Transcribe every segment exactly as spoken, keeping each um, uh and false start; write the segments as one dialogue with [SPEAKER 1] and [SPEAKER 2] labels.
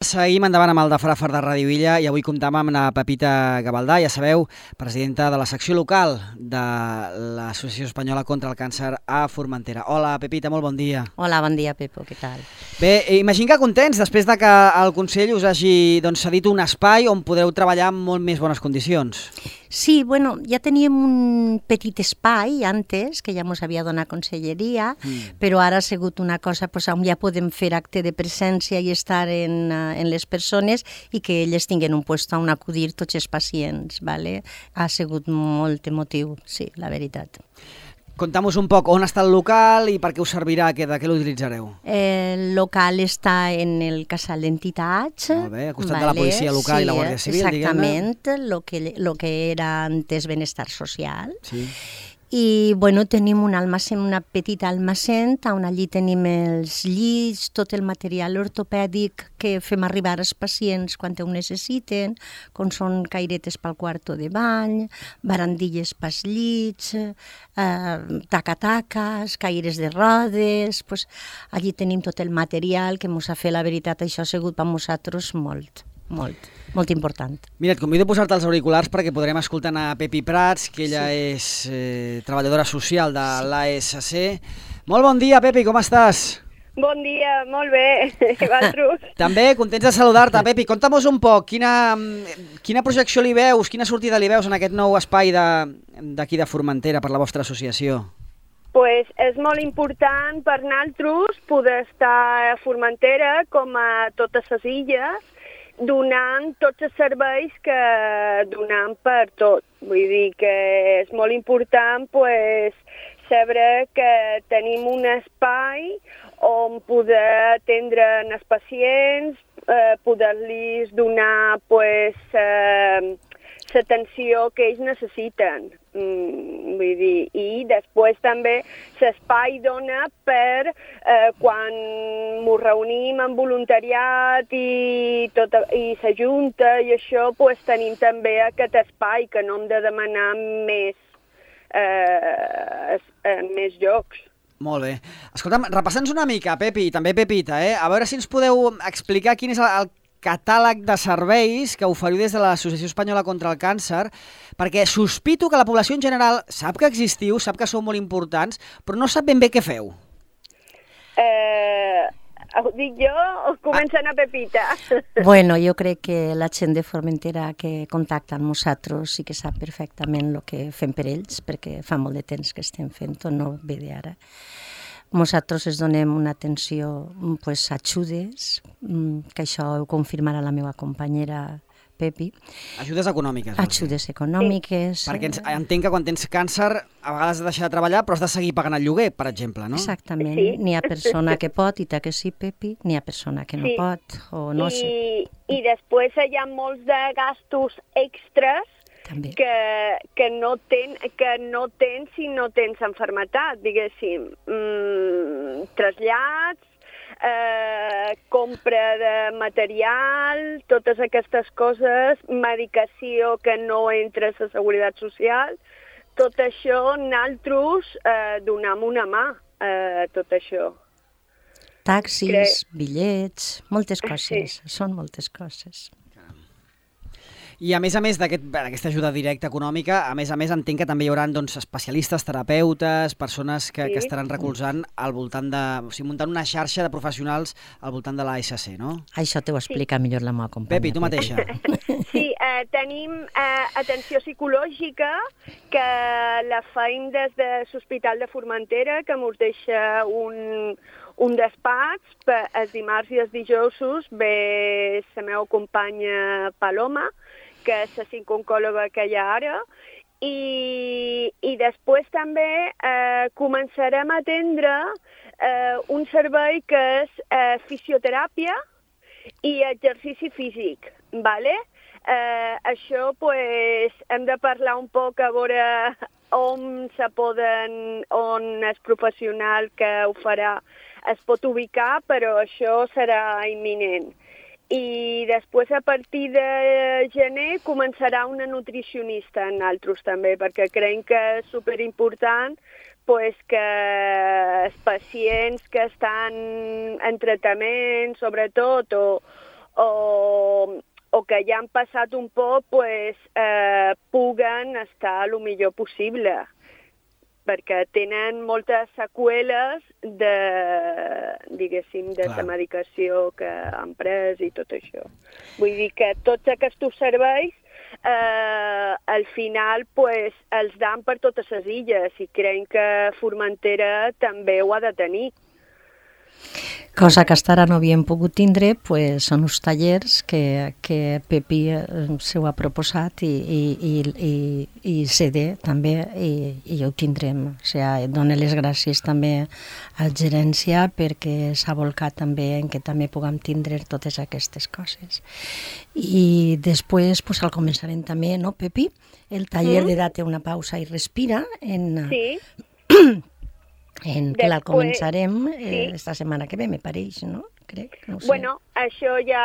[SPEAKER 1] Seguim endavant amb el de Frafar de Ràdio Illa i avui comptam amb la Pepita Gavaldà, ja sabeu, presidenta de la secció local de l'Associació Espanyola contra el Càncer a Formentera. Hola, Pepita, molt bon dia.
[SPEAKER 2] Hola, bon dia, Pepo, què tal?
[SPEAKER 1] Bé, imagino que contents després de que el Consell us hagi doncs, cedit un espai on podreu treballar en molt més bones condicions.
[SPEAKER 2] Sí, bueno, ja teníem un petit espai antes, que ja ens havia donat Conselleria, mm. però ara ha sigut una cosa pues, on ja podem fer acte de presència i estar en, en les persones i que elles tinguin un lloc on acudir tots els pacients. ¿vale? Ha sigut molt emotiu, sí, la veritat.
[SPEAKER 1] Conta'm-nos un poc on està el local i per què us servirà, de què l'utilitzareu.
[SPEAKER 2] El local està en el casal d'entitats.
[SPEAKER 1] Molt bé, al costat vale, de la policia local sí, i la Guàrdia Civil,
[SPEAKER 2] exactament, lo que, lo que era antes benestar social.
[SPEAKER 1] Sí.
[SPEAKER 2] I bueno, tenim un almacén, una petita almacén, on allí tenim els llits, tot el material ortopèdic que fem arribar als pacients quan ho necessiten, com són cairetes pel quarto de bany, barandilles pels llits, eh, taca-taques, caires de rodes. Pues, allí tenim tot el material que ens ha fet, la veritat, això ha sigut per nosaltres molt. Molt, molt important.
[SPEAKER 1] Mira, et convido a posar-te els auriculars perquè podrem escoltar a Pepi Prats, que ella sí. és eh, treballadora social de sí. l'A S C. Molt bon dia, Pepi, com estàs?
[SPEAKER 3] Bon dia, molt bé, i vosaltres?
[SPEAKER 1] També, contents de saludar-te, Pepi. Conta'm-nos un poc, quina, quina projecció li veus, quina sortida li veus en aquest nou espai d'aquí de, de Formentera per la vostra associació?
[SPEAKER 3] Pues és molt important per nosaltres poder estar a Formentera, com a totes les illes, donant tots els serveis que donem per tot. Vull dir que és molt important pues, saber que tenim un espai on poder atendre els pacients, eh, poder-los donar pues, eh, l'atenció que ells necessiten. Mm, vull dir, i després també l'espai dona per eh, quan ens reunim en voluntariat i, tot, i s'ajunta i això, pues, tenim també aquest espai que no hem de demanar més, eh, eh, més llocs.
[SPEAKER 1] Molt bé. Escolta'm, repassa'ns una mica, Pepi, i també Pepita, eh? A veure si ens podeu explicar quin és el, el catàleg de serveis que oferiu des de l'Associació Espanyola contra el Càncer, perquè sospito que la població en general sap que existiu, sap que sou molt importants, però no sap ben bé què feu.
[SPEAKER 3] Eh, ho dic jo o comencen a Pepita?
[SPEAKER 2] Bueno, jo crec que la gent de Formentera que contacta amb nosaltres sí que sap perfectament el que fem per ells, perquè fa molt de temps que estem fent-ho, no ve d'ara. Nosaltres es donem una atenció pues, ajudes, que això ho confirmarà la meva companyera Pepi.
[SPEAKER 1] Ajudes econòmiques.
[SPEAKER 2] Ajudes econòmiques.
[SPEAKER 1] Sí. Perquè entenc que quan tens càncer a vegades has de deixar de treballar però has de seguir pagant el lloguer, per exemple, no?
[SPEAKER 2] Exactament.
[SPEAKER 3] Sí.
[SPEAKER 2] N'hi ha persona que pot, i ta que sí, Pepi, n'hi ha persona que no
[SPEAKER 3] sí.
[SPEAKER 2] pot, o no
[SPEAKER 3] I,
[SPEAKER 2] sé.
[SPEAKER 3] I després hi ha molts de gastos extres
[SPEAKER 2] També.
[SPEAKER 3] que, que, no ten, que no tens si no tens enfermetat, diguéssim. Mm, trasllats, eh, compra de material, totes aquestes coses, medicació que no entra a la Seguretat Social, tot això nosaltres eh, donem una mà a eh, tot això.
[SPEAKER 2] Taxis,
[SPEAKER 3] Cre...
[SPEAKER 2] bitllets, moltes coses,
[SPEAKER 3] sí.
[SPEAKER 2] són moltes coses.
[SPEAKER 1] I a més a més d'aquesta aquest, ajuda directa econòmica, a més a més entenc que també hi haurà doncs, especialistes, terapeutes, persones que, sí. que estaran recolzant al voltant de... O sigui, muntant una xarxa de professionals al voltant de l'A S C, no?
[SPEAKER 2] Això t'ho explica sí. millor la meva companya.
[SPEAKER 1] Pepi, tu mateixa.
[SPEAKER 3] Sí, eh, tenim eh, atenció psicològica que la feim des de l'Hospital de Formentera, que ens deixa un, un despatx, per, els dimarts i els dijous ve la meva companya Paloma, que és la psicooncòloga que hi ha ara, i, i després també eh, començarem a atendre eh, un servei que és eh, fisioteràpia i exercici físic, ¿vale? Eh, això, pues, hem de parlar un poc a veure on se poden, on el professional que ho farà es pot ubicar, però això serà imminent. I després, a partir de gener, començarà una nutricionista en altres també, perquè creiem que és superimportant pues, que els pacients que estan en tractament, sobretot, o, o que ja han passat un poc, pues, eh, puguen estar el millor possible, perquè tenen moltes seqüeles de, diguéssim, de la medicació que han pres i tot això. Vull dir que tots aquests serveis eh, al final pues, els dan per totes les illes i creiem que Formentera també ho ha de tenir.
[SPEAKER 2] Cosa que hasta ara no havíem pogut tindre, pues, són uns tallers que, que Pepi s'ho ha proposat i, i, i, i, i C D també, i, i ho tindrem. O sigui, dono les gràcies també a la gerència perquè s'ha volcat també en que també puguem tindre totes aquestes coses. I després pues, el començarem també, no, Pepi? El taller mm. de Date una pausa i respira. En,
[SPEAKER 3] sí.
[SPEAKER 2] En que la començarem eh, esta setmana que ve, me pareix, no? Crec, no sé.
[SPEAKER 3] Bueno, això ja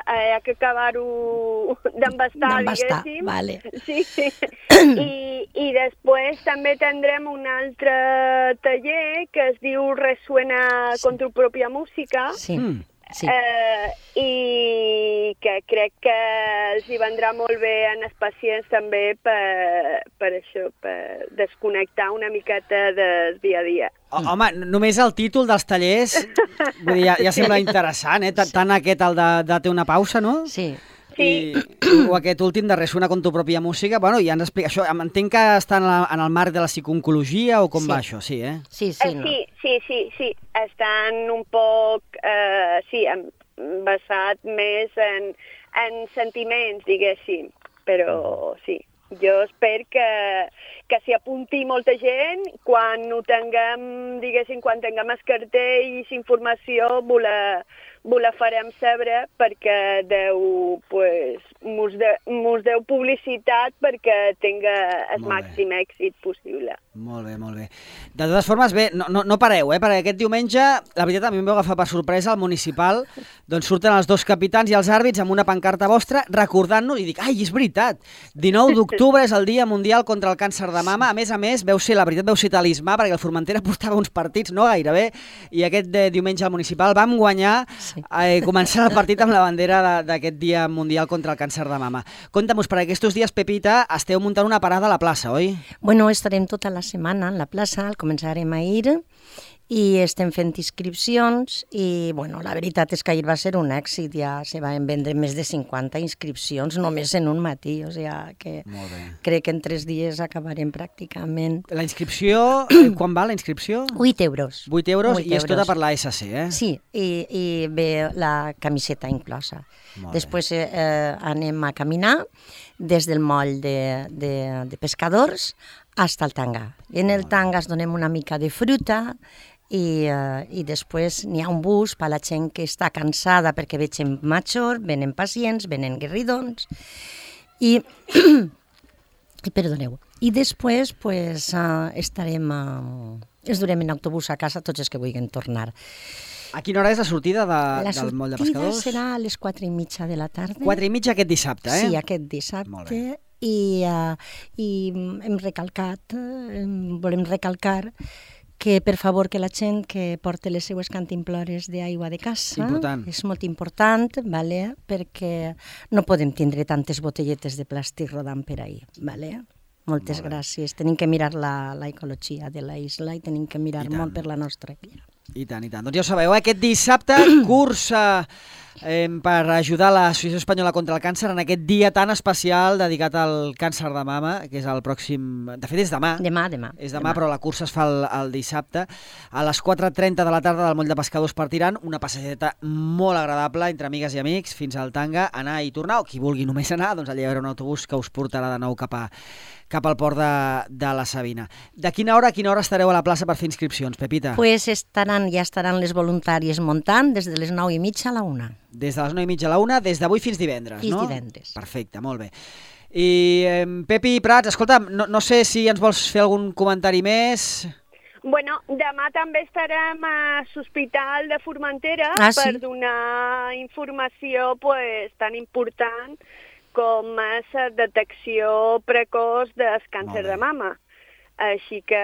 [SPEAKER 3] eh, ha que acabar-ho d'embastar, diguéssim.
[SPEAKER 2] Vale.
[SPEAKER 3] Sí, sí. I, I després també tindrem un altre taller que es diu Resuena sí. con tu pròpia música.
[SPEAKER 2] Sí. Mm. Sí.
[SPEAKER 3] Eh, i que crec que els hi vendrà molt bé en els pacients també per, per això, per desconnectar una miqueta del dia a dia.
[SPEAKER 1] Oh, home, només el títol dels tallers vull dir, ja, ja sembla interessant, eh? Tant aquest, el de Date una pausa, no?
[SPEAKER 2] Sí.
[SPEAKER 3] Sí.
[SPEAKER 1] I, o aquest últim de Resuena con tu pròpia música, bueno, ja ens explica això, entenc que està en, la, en el marc de la psiconcologia o com
[SPEAKER 2] sí.
[SPEAKER 1] va això, sí, eh?
[SPEAKER 2] Sí, sí, no?
[SPEAKER 3] sí, sí, sí, sí, estan un poc, eh, sí, basat més en, en sentiments, diguéssim, però sí. Jo espero que, que s'hi apunti molta gent, quan ho tinguem, diguéssim, quan tinguem el cartell i informació, voler, voler farem saber perquè deu, pues, mos, de, mos deu publicitat perquè tinga el màxim èxit possible.
[SPEAKER 1] Molt bé, molt bé. De totes formes, bé, no, no, no pareu, eh? Perquè aquest diumenge, la veritat, a mi em vau agafar per sorpresa al municipal, doncs surten els dos capitans i els àrbits amb una pancarta vostra recordant-nos, i dic, ai, és veritat, dinou d'octubre és el Dia Mundial contra el Càncer de Mama, a més a més, veu ser, la veritat, veu ser talismà, perquè el Formentera portava uns partits, no gairebé, i aquest de, diumenge al municipal vam guanyar, sí. eh, començant el partit amb la bandera d'aquest Dia Mundial contra el Càncer de Mama. Conta'm-nos, per aquests dies, Pepita, esteu muntant una parada a la plaça, oi?
[SPEAKER 2] Bueno, estarem tota la setmana en la plaça, el començarem ahir i estem fent inscripcions i, bueno, la veritat és que ahir va ser un èxit, ja se van vendre més de cinquanta inscripcions només en un matí, o sigui que crec que en tres dies acabarem pràcticament.
[SPEAKER 1] La inscripció, eh, quan va la inscripció?
[SPEAKER 2] vuit euros.
[SPEAKER 1] vuit euros i és tota per la S C, eh?
[SPEAKER 2] Sí, i, i ve la camiseta inclosa. Després eh, anem a caminar des del moll de, de, de pescadors hasta el tanga. En el tanga es donem una mica de fruta i, uh, i després n'hi ha un bus per a la gent que està cansada perquè veig gent major, venen pacients, venen guerridons i, i perdoneu. I després pues, uh, estarem, uh, es durem en autobús a casa tots els que vulguin tornar.
[SPEAKER 1] A quina hora és la sortida de,
[SPEAKER 2] la
[SPEAKER 1] del moll de pescadors?
[SPEAKER 2] La sortida serà a les quatre i mitja de la tarda.
[SPEAKER 1] Quatre i mitja aquest dissabte, eh?
[SPEAKER 2] Sí, aquest dissabte. I, uh, i hem recalcat, uh, volem recalcar que per favor que la gent que porta les seues cantimplores d'aigua de casa
[SPEAKER 1] important.
[SPEAKER 2] És molt important, vale? Perquè no podem tindre tantes botelletes de plàstic rodant per ahí. Vale? Moltes molt gràcies. Tenim que mirar la, la ecologia de la isla i tenim que mirar molt per la nostra vida.
[SPEAKER 1] I tant, i tant. Doncs ja ho sabeu, aquest dissabte cursa eh, per ajudar l'Associació Espanyola contra el Càncer en aquest dia tan especial dedicat al càncer de mama, que és el pròxim... De fet, és demà.
[SPEAKER 2] Demà, demà.
[SPEAKER 1] És demà, demà. Però la cursa es fa el, el dissabte. A les quatre i trenta de la tarda del moll de pescadors partiran, una passejeta molt agradable entre amigues i amics fins al Tanga, anar i tornar, o qui vulgui només anar, doncs allà hi haurà un autobús que us portarà de nou cap a cap al port de, de la Sabina. De quina hora a quina hora estareu a la plaça per fer inscripcions, Pepita?
[SPEAKER 2] Pues estaran, ja estaran les voluntàries muntant des de les nou i mitja a la una.
[SPEAKER 1] Des de les nou i mitja a la una, des d'avui fins divendres,
[SPEAKER 2] fins
[SPEAKER 1] no?
[SPEAKER 2] Fins divendres.
[SPEAKER 1] Perfecte, molt bé. I eh, Pepi Prats, escolta, no, no sé si ens vols fer algun comentari més...
[SPEAKER 3] Bueno, demà també estarem a l'Hospital de Formentera
[SPEAKER 2] ah, sí?
[SPEAKER 3] per donar informació pues, tan important com és la detecció precoç del càncer de mama. Així que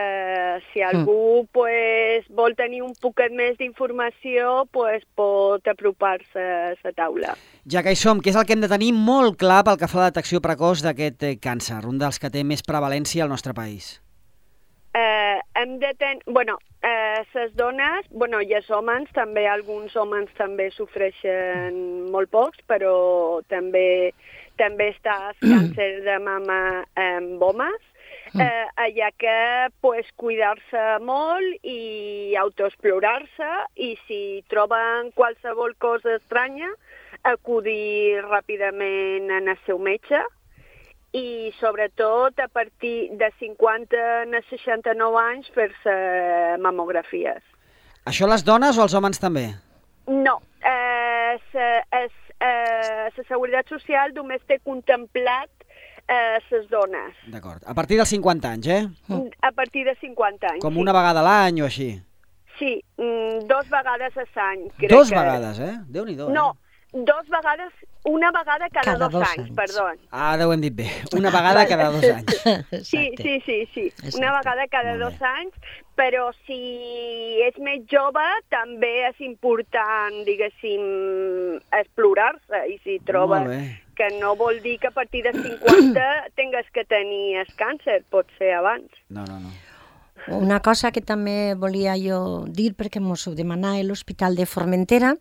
[SPEAKER 3] si algú mm. pues, vol tenir un poquet més d'informació, pues, pot apropar-se a la taula.
[SPEAKER 1] Ja que hi som, què és el que hem de tenir molt clar pel que fa a la detecció precoç d'aquest càncer, un dels que té més prevalència al nostre país?
[SPEAKER 3] Eh, hem de tenir... Bueno, eh, les dones, bueno, i els homes, també alguns homes també sofreixen molt pocs, però també, també està el càncer de mama amb homes. Eh, allà que pues, cuidar-se molt i autoexplorar-se i si troben qualsevol cosa estranya acudir ràpidament en el seu metge i sobretot a partir de cinquanta a seixanta-nou anys fer-se mamografies.
[SPEAKER 1] Això les dones o els homes també?
[SPEAKER 3] No, eh, la eh, Seguretat Social només té contemplat a les dones.
[SPEAKER 1] D'acord. A partir dels cinquanta anys, eh?
[SPEAKER 3] A partir de cinquanta anys,
[SPEAKER 1] Com
[SPEAKER 3] sí.
[SPEAKER 1] una vegada a l'any o així?
[SPEAKER 3] Sí, dos vegades a l'any.
[SPEAKER 1] Dos
[SPEAKER 3] que...
[SPEAKER 1] vegades, eh? Déu-n'hi-do.
[SPEAKER 3] No,
[SPEAKER 1] eh?
[SPEAKER 3] dos vegades, una vegada cada,
[SPEAKER 2] cada
[SPEAKER 3] dos,
[SPEAKER 2] dos
[SPEAKER 3] anys,
[SPEAKER 2] anys,
[SPEAKER 3] perdó.
[SPEAKER 1] Ah, ho hem dit bé. Una vegada cada dos anys.
[SPEAKER 3] Sí, sí, sí, sí.
[SPEAKER 2] Exacte.
[SPEAKER 3] Una vegada cada
[SPEAKER 1] Molt
[SPEAKER 3] dos
[SPEAKER 1] bé.
[SPEAKER 3] anys, però si és més jove també és important, diguéssim, explorar-se i si troba
[SPEAKER 1] Molt bé.
[SPEAKER 3] que no vol dir que a partir de cinquanta tingues que tenir el càncer, pot ser abans.
[SPEAKER 1] No, no, no.
[SPEAKER 2] Una cosa que també volia jo dir, perquè mos ho demanava l'Hospital de Formentera,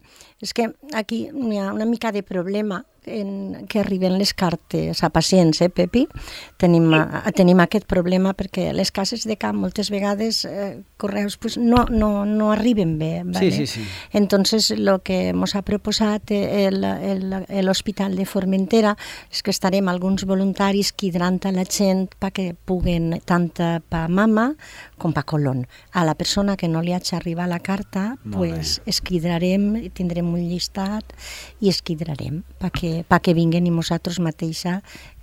[SPEAKER 2] és que aquí hi ha una mica de problema en que arriben les cartes a pacients, eh, Pepi? Tenim, a, tenim aquest problema perquè les cases de camp moltes vegades eh, correus pues, no, no, no arriben bé. ¿vale?
[SPEAKER 1] Sí, sí, sí.
[SPEAKER 2] Entonces, lo que ens ha proposat l'Hospital de Formentera és que estarem alguns voluntaris cridarant a la gent perquè puguen tant per mama com per colon. A la persona que no li hagi arribat la carta, pues, es cridarem, tindrem un llistat i es cridarem perquè perquè vinguen i nosaltres mateixa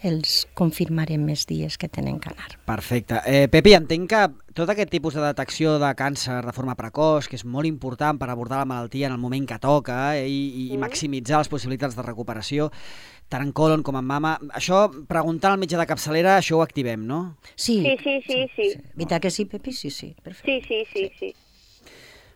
[SPEAKER 2] els confirmarem més dies que tenen que anar.
[SPEAKER 1] Perfecte. Eh, Pepi, entenc que tot aquest tipus de detecció de càncer de forma precoç, que és molt important per abordar la malaltia en el moment que toca eh, i, i maximitzar les possibilitats de recuperació, tant en colon com en mama, això, preguntant al metge de capçalera, això ho activem, no?
[SPEAKER 2] Sí,
[SPEAKER 3] Sí, sí, sí, sí.
[SPEAKER 2] sí. Veritat que sí, Pepi? Sí, sí, perfecte.
[SPEAKER 3] Sí, sí, sí, sí.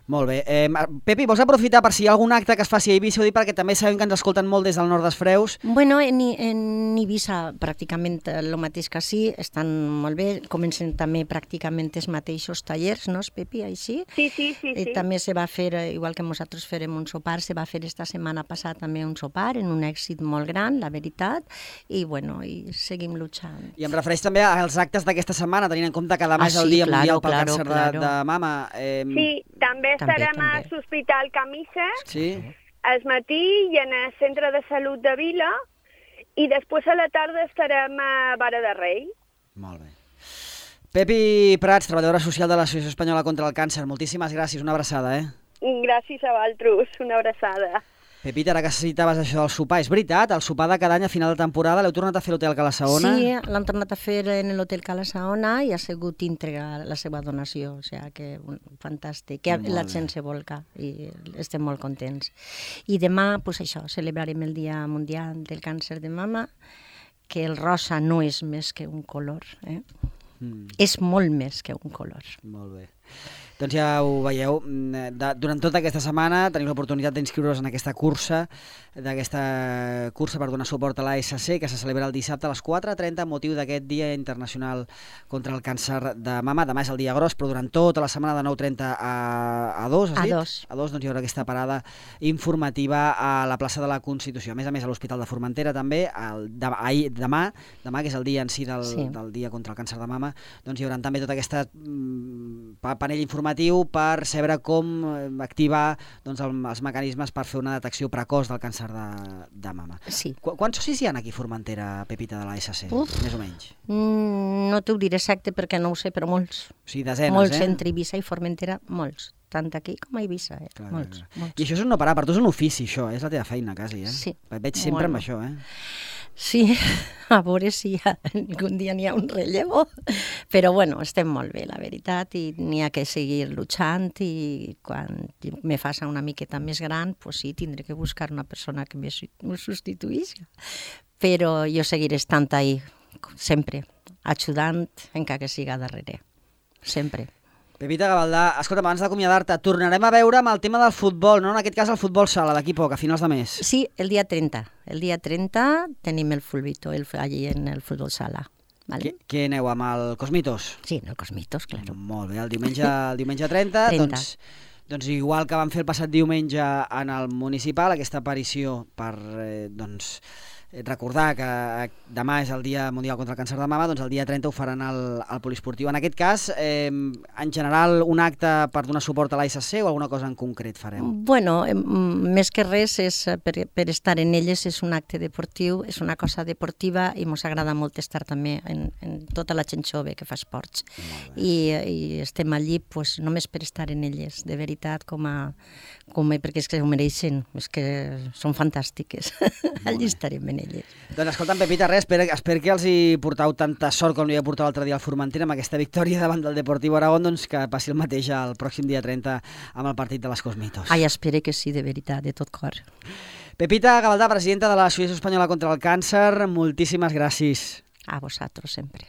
[SPEAKER 1] Molt bé. Eh, Pepi, vols aprofitar per si hi ha algun acte que es faci a Eivissa, ho dic perquè també sabem que ens escolten molt des del nord dels Freus.
[SPEAKER 2] Bueno, en, en Eivissa pràcticament el mateix que sí, estan molt bé, comencen també pràcticament els mateixos tallers, no, Pepi, així?
[SPEAKER 3] Sí, sí, sí, sí.
[SPEAKER 2] Eh, també se va fer, igual que nosaltres farem un sopar, se va fer esta setmana passada també un sopar, en un èxit molt gran, la veritat, i bueno, i seguim luchant.
[SPEAKER 1] I em refereix també als actes d'aquesta setmana, tenint en compte que demà
[SPEAKER 2] Ah,
[SPEAKER 1] és el
[SPEAKER 2] sí,
[SPEAKER 1] Dia
[SPEAKER 2] claro,
[SPEAKER 1] Mundial pel
[SPEAKER 2] claro,
[SPEAKER 1] Càncer
[SPEAKER 2] claro.
[SPEAKER 1] de, de mama. Eh,
[SPEAKER 3] Sí, també
[SPEAKER 2] També,
[SPEAKER 3] estarem
[SPEAKER 2] també.
[SPEAKER 3] a l'Hospital Camises,
[SPEAKER 1] sí?
[SPEAKER 3] al matí i en el Centre de Salut de Vila, i després a la tarda estarem a Vara de Rei.
[SPEAKER 1] Molt bé. Pepi Prats, treballadora social de l'Associació Espanyola contra el Càncer, moltíssimes gràcies, una abraçada, eh?
[SPEAKER 3] Gràcies a vosaltres, una abraçada.
[SPEAKER 1] Pepita, ara que citaves això del sopar, és veritat, el sopar de cada any a final de temporada l'heu tornat a fer a l'Hotel Cala Saona?
[SPEAKER 2] Sí, l'han tornat a fer en l'Hotel Cala Saona i ha sigut íntegra la seva donació, o sigui que un, fantàstic, que
[SPEAKER 1] Molt
[SPEAKER 2] la
[SPEAKER 1] bé.
[SPEAKER 2] gent se volca i estem molt contents. I demà, pues això, celebrarem el Dia Mundial del Càncer de Mama, que el rosa no és més que un color, eh?
[SPEAKER 1] Mm,
[SPEAKER 2] És molt més que un color.
[SPEAKER 1] molt bé. Doncs ja ho veieu, de, durant tota aquesta setmana teniu l'oportunitat d'inscriure-vos en aquesta cursa, d'aquesta cursa per donar suport a l'A S C, que se celebra el dissabte a les quatre trenta amb motiu d'aquest Dia Internacional contra el Càncer de Mama. Demà és el dia gros, però durant tota la setmana de nou trenta a, a dos, has
[SPEAKER 2] A
[SPEAKER 1] dit?
[SPEAKER 2] dos.
[SPEAKER 1] A dos, doncs hi haurà aquesta parada informativa a la plaça de la Constitució. A més a més, a l'Hospital de Formentera també, el, de, ahir, demà, demà, que és el dia en si del,
[SPEAKER 2] Sí.
[SPEAKER 1] del Dia contra el Càncer de Mama, doncs hi haurà també tot aquest mm, panell informatiu per saber com activar doncs, el, els mecanismes per fer una detecció precoç del càncer de, de mama.
[SPEAKER 2] Sí.
[SPEAKER 1] Qu Quants socis hi ha aquí a Formentera, Pepita, de l'A S C?
[SPEAKER 2] Uf.
[SPEAKER 1] Més o menys.
[SPEAKER 2] Mm, no t'ho diré exacte perquè no ho sé, però molts.
[SPEAKER 1] O sigui, desenes,
[SPEAKER 2] molts
[SPEAKER 1] eh?
[SPEAKER 2] entre Eivissa i Formentera, molts. Tant aquí com a Eivissa, eh?
[SPEAKER 1] Clar,
[SPEAKER 2] molts,
[SPEAKER 1] clar, clar.
[SPEAKER 2] molts.
[SPEAKER 1] I això és un no parar, per tu és un ofici, això, és la teva feina, quasi, eh?
[SPEAKER 2] Sí.
[SPEAKER 1] Et veig sempre
[SPEAKER 2] Bueno.
[SPEAKER 1] amb això, eh?
[SPEAKER 2] Sí, a veure si hi ha, algun dia n'hi ha un relleu, però bueno, estem molt bé, la veritat, i n'hi ha que seguir luchant i quan me faça una miqueta més gran, pues sí, tindré que buscar una persona que me substituïsca. Però jo seguiré estant ahí, sempre, ajudant, encara que siga darrere. sempre.
[SPEAKER 1] Pepita Gavaldà, escolta, abans d'acomiadar-te, tornarem a veure amb el tema del futbol, no? En aquest cas el futbol sala, d'aquí poc, a finals de mes.
[SPEAKER 2] Sí, el dia trenta. El dia trenta tenim el Fulbito, el, allí en el futbol sala. Vale?
[SPEAKER 1] Què, què aneu, amb el Cosmitos?
[SPEAKER 2] Sí, en el Cosmitos, claro.
[SPEAKER 1] Molt bé, el diumenge, el diumenge trenta,
[SPEAKER 2] trenta.
[SPEAKER 1] Doncs, doncs igual que vam fer el passat diumenge en el municipal, aquesta aparició per, eh, doncs, recordar que demà és el Dia Mundial contra el Càncer de Mama, doncs el dia trenta ho faran al, al poliesportiu. En aquest cas, eh, en general, un acte per donar suport a l'A S C o alguna cosa en concret fareu?
[SPEAKER 2] Bueno, eh, més que res, és, per, per estar en elles és un acte deportiu, és una cosa deportiva i ens agrada molt estar també en, en tota la gent jove que fa esports. I, i estem allí pues, només per estar en elles, de veritat, com a, com a, perquè és que ho mereixen, és que són fantàstiques. Allí estarem en elles.
[SPEAKER 1] Doncs escolta'm, Pepita, res, espero, espero que els hi portau tanta sort com li va portar l'altre dia al Formentera amb aquesta victòria davant del Deportiu Aragón, doncs que passi el mateix el pròxim dia trenta amb el partit de les Cosmitos.
[SPEAKER 2] Ai, espero que sí, de veritat, de tot cor.
[SPEAKER 1] Pepita Gavaldà, presidenta de l'Associació Espanyola contra el Càncer, moltíssimes gràcies.
[SPEAKER 2] A vosaltres sempre.